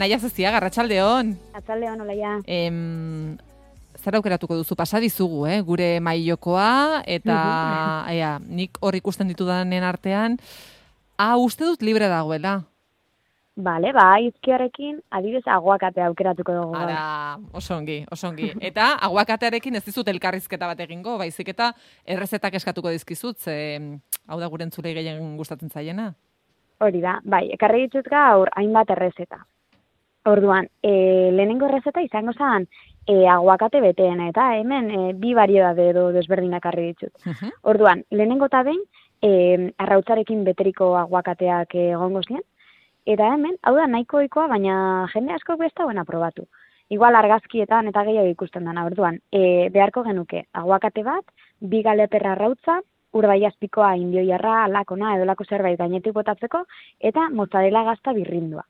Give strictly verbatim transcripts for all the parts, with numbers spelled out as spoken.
Naia Zezia, Arratsaldeon. Arratsaldeon, olaia. Em, zer aukeratuko duzu pasa dizugu, eh? Gure mailokoa eta ea, nik hor ikusten ditudanen artean, ah, uste dut libre dagoela. Bale, ba, izkiarekin adibidez aguakatea aukeratuko dugu. Ara, oso ongi, oso ongi. Eta aguakatearekin ez dizut elkarrizketa bat egingo, baizik eta errezetak eskatuko dizkizut, ze hau da gure entzulei gehien gustatzen zaiena. Hori da, bai, ekarri ditut gaur hainbat errezeta. Orduan, e, lehenengo errezeta izango zen e, aguakate beteena, eta hemen e, bi variedade edo desberdinak ekarri ditut. Uh-huh. Orduan, lehenengo eta behin e, arrautzarekin beteriko aguakateak egongo ziren, eta hemen, hau da nahiko ohikoa, baina jende asko beste buena probatu. Igual argazkietan eta gehiago ikusten dana. Orduan, e, beharko genuke aguakate bat, bi galeperra arrautza, urdaiazpikoa, indioiarra, lakona, edolako zerbait gainetik botatzeko, eta mozzarella gazta birrindua.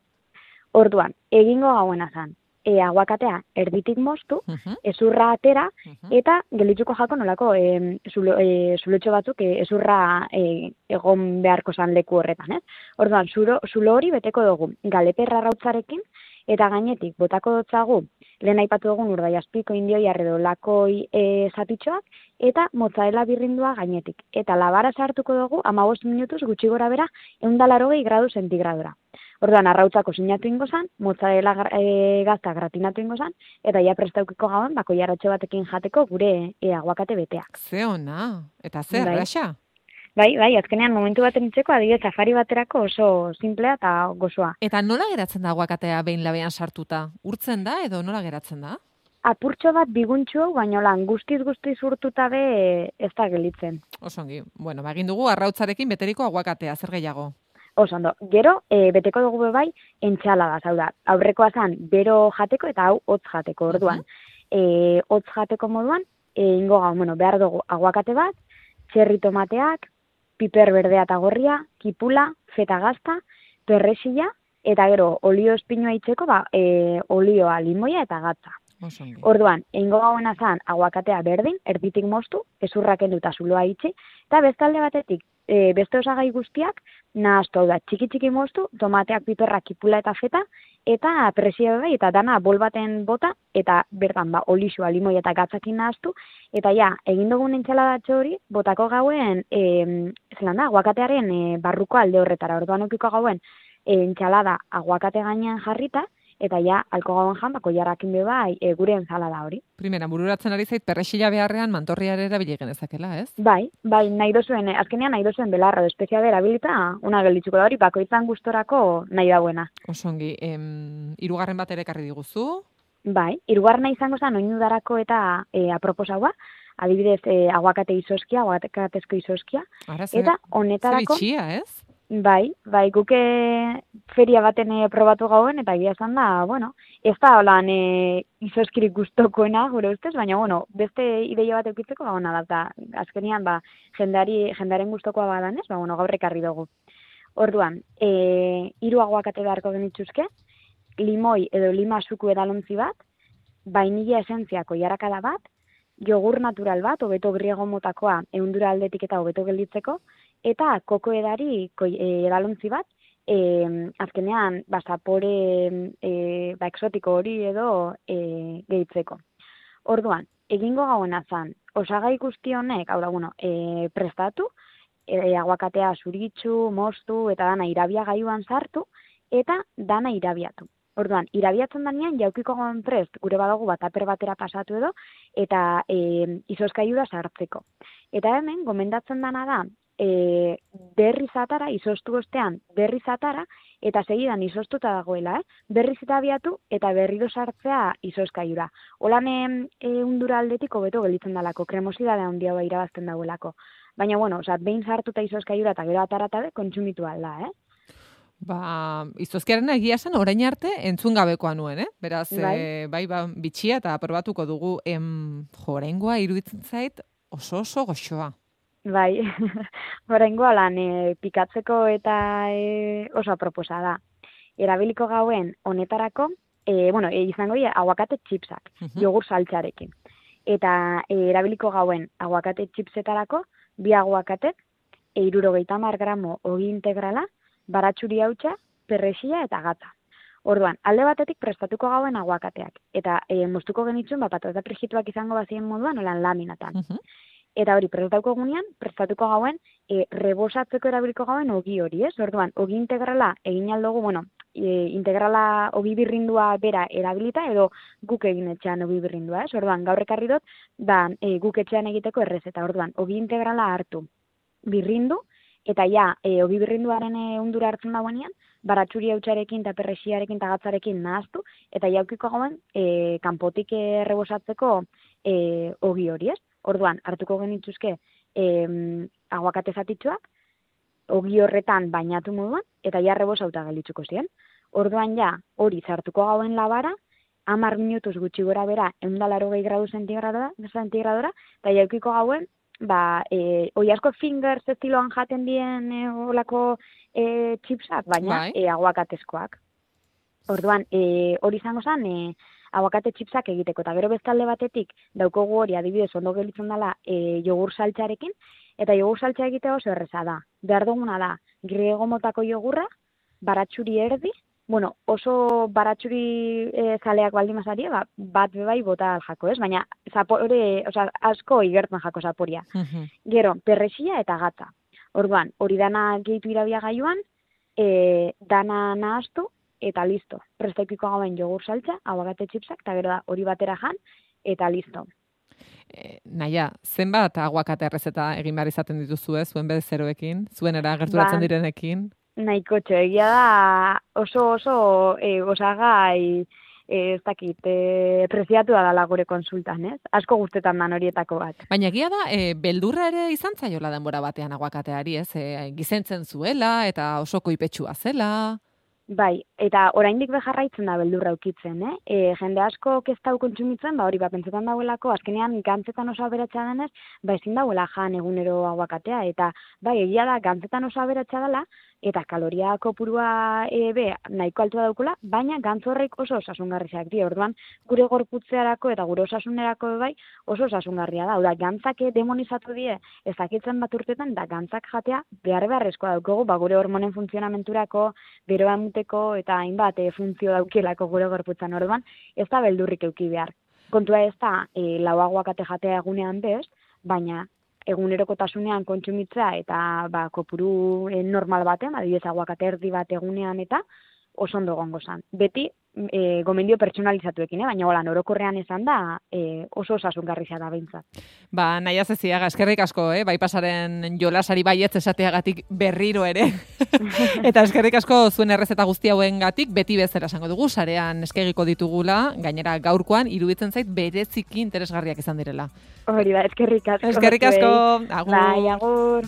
Orduan, egingo gauena zen, e, aguakatea erditik moztu, uh-huh. ezurra atera, uh-huh. eta gelitzuko jako nolako e, zulo, e, zulotxo batzuk e, ezurra e, egon beharko zan leku horretan, ez? Orduan, zulo, zulo hori beteko dugu galeperra rautzarekin, eta gainetik botako dotzagu, lehen aipatu dugun urdaiazpiko, indioiar edo lakoi e, zatitxoak, eta mozzarella birrindua gainetik. Eta labara sartuko dugu, hamabost minutuz gutxi gora bera, ehun eta laurogei gradu zentigradura. Orduan, arrautzako sinatu ingo zan, mozzarella e, gazta gratinatu ingo zan, eta ja prestaukiko gauen, bako jaratxo batekin jateko gure e, aguakate beteak. Ze ona, eta zer, bai. Raxa? Bai, bai, azkenean momentu baten itzeko, adibidez safari baterako oso simplea eta gozoa. Eta nola geratzen da aguakatea behin labean sartuta? Urtzen da edo nola geratzen da? Apurtxo bat biguntxu, baina lan guztiz-guztiz urtuta be ez da gelitzen. Osongi, bueno, ba, egin dugu arrautzarekin beteriko aguakatea, zer gehiago? Oso ondo, gero e, beteko dugu be bai entxalada, hau da, aurrekoa zan bero jateko eta hau hotz jateko, orduan. Uh-huh. e, hotz jateko moduan, e, ingo gau, bueno, behar dugu aguakate bat, txerri tomateak, piper berdea eta gorria, kipula, feta gazta, perrexila, eta gero olio espinua itzeko, ba, e, olioa, limoia eta gatza. Osongi. Orduan, eingo gauena zan aguakatea berdin, erditik moztu, ezurrak endu eta zuloa itxi, eta bestalde batetik, e, beste osagai guztiak, nahaztu, hau da, txiki-txiki moztu, tomateak, piperrak, kipula eta feta, eta presia bai, eta dana bol baten bota, eta bertan ba, olixua, limoi eta gatzakin nahaztu, eta ja, egin dugun entxaladatxo hori, botako gauen, e, zelan da, aguakatearen e, barruko alde horretara, orduan okiko gauen, e, entxalada aguakate gainean jarrita, eta ja, alko gauen jan, bako jarrakin be bai, e, gure entzalada hori. Primera, bururatzen ari zait, perrexila beharrean mantorriare erabili genezakela, ez? Bai, bai, nahi dozuen, azkenean nahi dozuen belarro, espezia berabilita, una gelditzuko da hori, bako izan gustorako nahi dauena. Osongi, em, hirugarren bat ere ekarri diguzu? Bai, hirugarrena izango zen oinudarako eta e, aproposaua, adibidez, e, aguakate izoskia, aguakatezko izoskia, Ara, ze, eta honetarako... Ze bitxia, ez? Bai, bai, guke feria baten e, probatu gauen, eta egia esan da, bueno, ez da holan e, izoskirik gustokoena, gure ustez, baina, bueno, beste ideia bat eukitzeko, ba, ona da, eta azkenian, ba, jendari, jendaren gustokoa badanez, ba, bueno, gaur ekarri dugu. Orduan, e, hiru aguakate beharko genitzuzke, limoi edo lima suku edalontzi bat, vainilla esentziako jarakada bat, jogur natural bat, hobeto griego motakoa, ehundura aldetik eta hobeto gelditzeko, eta koko edari koi, e, edalontzi bat, e, azkenean, ba, zapore e, ba, exotiko hori edo e, gehitzeko. Orduan, egingo gauena zan, osagai guzti honek, hau da, bueno, e, prestatu, e, aguakatea zuritxu, moztu, eta dana irabia gaiuan sartu, eta dana irabiatu. Orduan, irabiatzen danean, jaukiko gauen prest, gure badago bataper batera pasatu edo, eta e, izozkaiura sartzeko. Eta hemen, gomendatzen dana da, e, berriz atara, izostu ostean berriz atara, eta segidan izoztuta dagoela, eh? berriz eta abiatu, eta berriro sartzea izozkaiura. Holan e, undura aldetik hobeto gelditzen dalako, kremosidadea handia ba irabazten dagoelako. Baina, bueno, oza, behin sartuta izozkaiura eta gero ataratabe, kontsumitu alda, eh? Ba, izozkiaren egia zen orain arte entzun gabekoa nuen, eh? Beraz, bai, e, bai ba, bitxia eta probatuko dugu, em, jo, oraingoa iruditzen zait oso oso goxoa. Bai, oraingoa lan e, pikatzeko eta e, oso aproposa da. Erabiliko gauen honetarako, e, bueno, e, izango dira aguakate chipsak, uh-huh. jogur saltxarekin. Eta e, erabiliko gauen aguakate chipsetarako, bi aguakatek, e, hirurogeita hamar gramo ogi integrala, baratxuri hautsa, perrexila eta gatza. Orduan, alde batetik prestatuko gauen aguakateak. Eta e, moztuko genitzun, ba, patata frijituak izango bazien moduan, olan laminatan. Uh -huh. Eta hori, prestatuko gunean, prestatuko gauen, e, rebosatzeko erabiliko gauen ogi hori, ez? Orduan, ogi integrala egin aldugu, bueno, e, integrala ogi birrindua bera erabilita, edo guk egin etxean ogi birrindua, ez? Orduan, gaur ekarri dut, da, e, guk etxean egiteko errezeta. Orduan, ogi integrala hartu, birrindu, eta ja, e, ogi birrinduaren e, undura hartzen dagoenean, baratxuri hautsarekin eta perrexiarekin eta gatzarekin nahaztu, eta jaukiko gauen e, kanpotik errebosatzeko e, ogi hori, ez? Orduan, hartuko genitzuzke e, aguakate zatitxoak, ogi horretan bainatu moduan, eta ja rebosauta gelitzuko ziren. Orduan ja, hori zartuko gauen labara, hamar minutuz gutxi gora bera, ehun eta laurogei gradu zentigradora, zentigradora, eta jaukiko gauen, ba, e, oi asko fingers estiloan jaten dien e, olako e, chipsak, baina e, aguakatezkoak. Orduan, e, hori izango zen, e, aguakate chipsak egiteko, eta gero bestalde batetik daukogu hori adibidez ondo gelitzen dela e, jogur saltxarekin, eta jogur saltxa egitea oso erreza da. Behar duguna da, griego motako jogurra, baratxuri erdi, bueno, oso baratxuri e, zaleak baldin mazari, ba, bat bebai bota aljako, ez? Baina zapore, oza, asko igertzen jako zaporia. Uh-huh. Gero, perrexia eta gatza. Orduan, hori dana gehitu irabia gaioan, e, dana nahaztu, eta listo. Prestaikiko gauen jogur saltza, aguakate chipsak, eta gero da hori batera jan, eta listo. E, naia, zenbat aguakate errezeta egin behar izaten dituzu ez, zuen bezeroekin, zuenera gerturatzen ba, direnekin? Nahiko txo, egia da oso oso e, osagai e, ez dakit, e, preziatua dala gure konsultan, ez? Asko guztetan dan horietako bat. Baina egia da, e, beldurra ere izan zaiola denbora batean aguakateari, ez? E, gizentzen zuela eta oso koipetsua zela. Bai, eta oraindik bejarraitzen da beldurra ukitzen, eh? E, jende asko ez dau kontsumitzen, ba hori ba pentsetan dauelako, azkenean gantzetan oso aberatsa denez, ba ezin dauela jan egunero aguakatea, eta bai, egia da gantzetan oso aberatsa dela, eta kaloria kopurua e, be, nahiko altua daukula, baina gantz horrek oso osasungarriak dira. Orduan, gure gorputzearako eta gure osasunerako bai oso osasungarria da. Oda, gantzak demonizatu die ezakitzen bat urtetan, da gantzak jatea behar beharrezkoa daukagu, ba gure hormonen funtzionamenturako, beroa emuteko eta hainbat e, funtzio daukielako gure gorputzan. Orduan, ez da beldurrik euki behar. Kontua ez da e, lau aguakate jatea egunean bez, baina egunerokotasunean kontsumitza eta ba, kopuru e, normal batean, adibidez aguakate erdi bat egunean eta oso ondo egongo zan. Beti e, gomendio pertsonalizatuekin, eh? Baina golan orokorrean esan da e, oso osasungarria da behintzat. Ba, Naia Zeziaga, eskerrik asko, eh? Bai pasaren jolasari baietz esateagatik berriro ere. Eta eskerrik asko zuen errezeta guzti hauengatik beti bezala esango dugu, sarean eskegiko ditugula, gainera gaurkoan iruditzen zait bereziki interesgarriak izan direla. Hori da, eskerrik asko. Eskerrik asko, agur. Bai, agur.